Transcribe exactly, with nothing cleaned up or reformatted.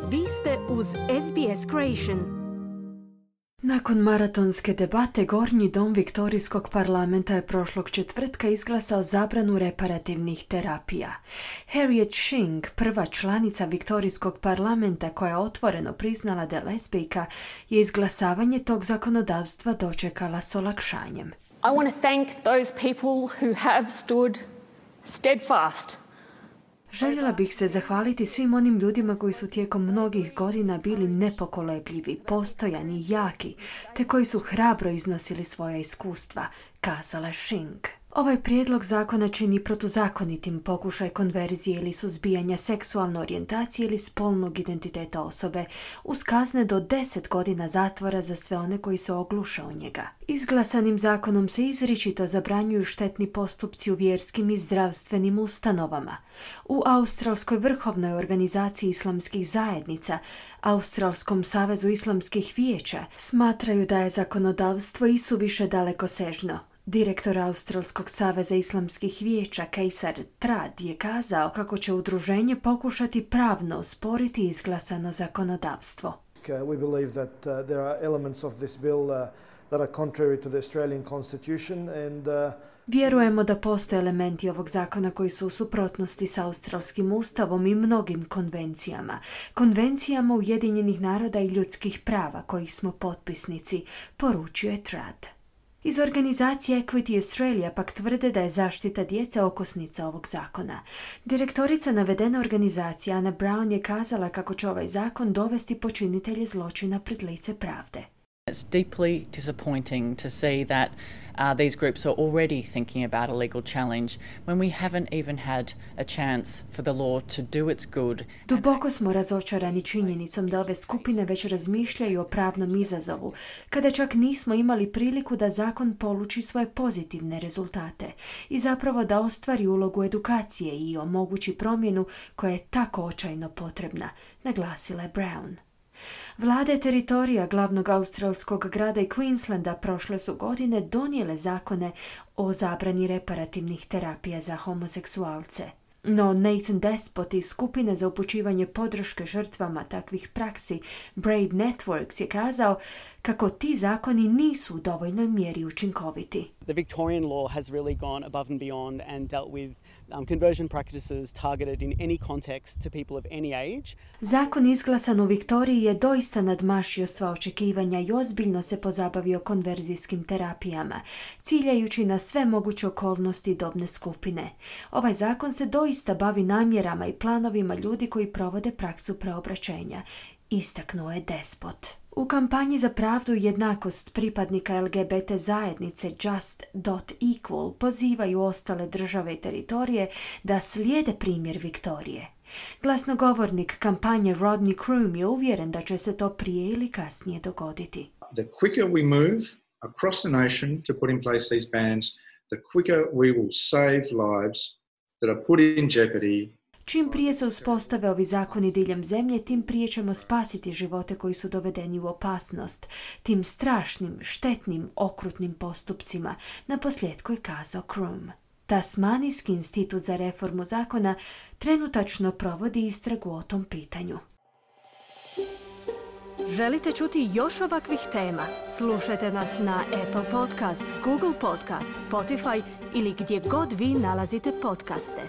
Vi ste uz S B S Creation. Nakon maratonske debate, Gornji dom Viktorijskog parlamenta je prošlog četvrtka izglasao zabranu reparativnih terapija. Harriet Shing, prva članica Viktorijskog parlamenta koja je otvoreno priznala da je lezbijka, je izglasavanje tog zakonodavstva dočekala s olakšanjem. I want to thank those people who have stood steadfast. Željela bih se zahvaliti svim onim ljudima koji su tijekom mnogih godina bili nepokolebljivi, postojani, jaki, te koji su hrabro iznosili svoja iskustva, kazala Shing. Ovaj prijedlog zakona čini protuzakonitim pokušaj konverzije ili suzbijanja seksualne orijentacije ili spolnog identiteta osobe, uz kazne do deset godina zatvora za sve one koji se ogluše o njega. Izglasanim zakonom se izričito zabranjuju štetni postupci u vjerskim i zdravstvenim ustanovama. U Australskoj vrhovnoj organizaciji islamskih zajednica, Australskom savezu islamskih vijeća, smatraju da je zakonodavstvo isuviše dalekosežno. Direktor Australskog saveza islamskih vijeća Kejsar Trad je kazao kako će udruženje pokušati pravno osporiti izglasano zakonodavstvo. We believe that uh, there are elements of this bill uh, that are contrary to the Australian Constitution and uh, Vjerujemo da postoje elementi ovog zakona koji su u suprotnosti s australskim ustavom i mnogim konvencijama. Konvencijama Ujedinjenih naroda i ljudskih prava kojih smo potpisnici, poručio je Trad. Iz organizacije Equity Australia pak tvrde da je zaštita djece okosnica ovog zakona. Direktorica navedene organizacije Anna Brown je kazala kako će ovaj zakon dovesti počinitelje zločina pred lice pravde. It's deeply disappointing to see that uh, these groups are already thinking about a legal challenge when we haven't even had a chance for the law to do its good. Duboko smo razočarani činjenicom da ove skupine već razmišljaju o pravnom izazovu, kada čak nismo imali priliku da zakon poluči svoje pozitivne rezultate i zapravo da ostvari ulogu edukacije i omogući promjenu koja je tako očajno potrebna, naglasila je Brown. Vlade teritorija glavnog australskog grada i Queenslanda prošle su godine donijele zakone o zabrani reparativnih terapija za homoseksualce. No Nathan Despot iz skupine za upućivanje podrške žrtvama takvih praksi Brave Networks je kazao kako ti zakoni nisu u dovoljnoj mjeri učinkoviti. The Victorian law has really gone above and beyond and dealt with um, conversion practices targeted in any context to people of any age. Zakon izglasan u Viktoriji je doista nadmašio sva očekivanja i ozbiljno se pozabavio konverzijskim terapijama, ciljajući na sve moguće okolnosti i dobne skupine. Ovaj zakon se doista bavi namjerama i planovima ljudi koji provode praksu preobraćenja, istaknuo je Despot. U kampanji za pravdu i jednakost pripadnika L G B T zajednice Just dot Equal pozivaju ostale države i teritorije da slijede primjer Viktorije. Glasnogovornik kampanje Rodney Croom je uvjeren da će se to prije ili kasnije dogoditi. The quicker we move across the nation to put in place these bans, the quicker we will save lives that are put in jeopardy. Čim prije se uspostave ovi zakoni diljem zemlje, tim prije ćemo spasiti živote koji su dovedeni u opasnost, tim strašnim, štetnim, okrutnim postupcima, na posljedku je kazao Croom. Tasmanijski institut za reformu zakona trenutačno provodi istragu o tom pitanju. Želite čuti još ovakvih tema? Slušajte nas na Apple Podcast, Google Podcast, Spotify ili gdje god vi nalazite podcaste.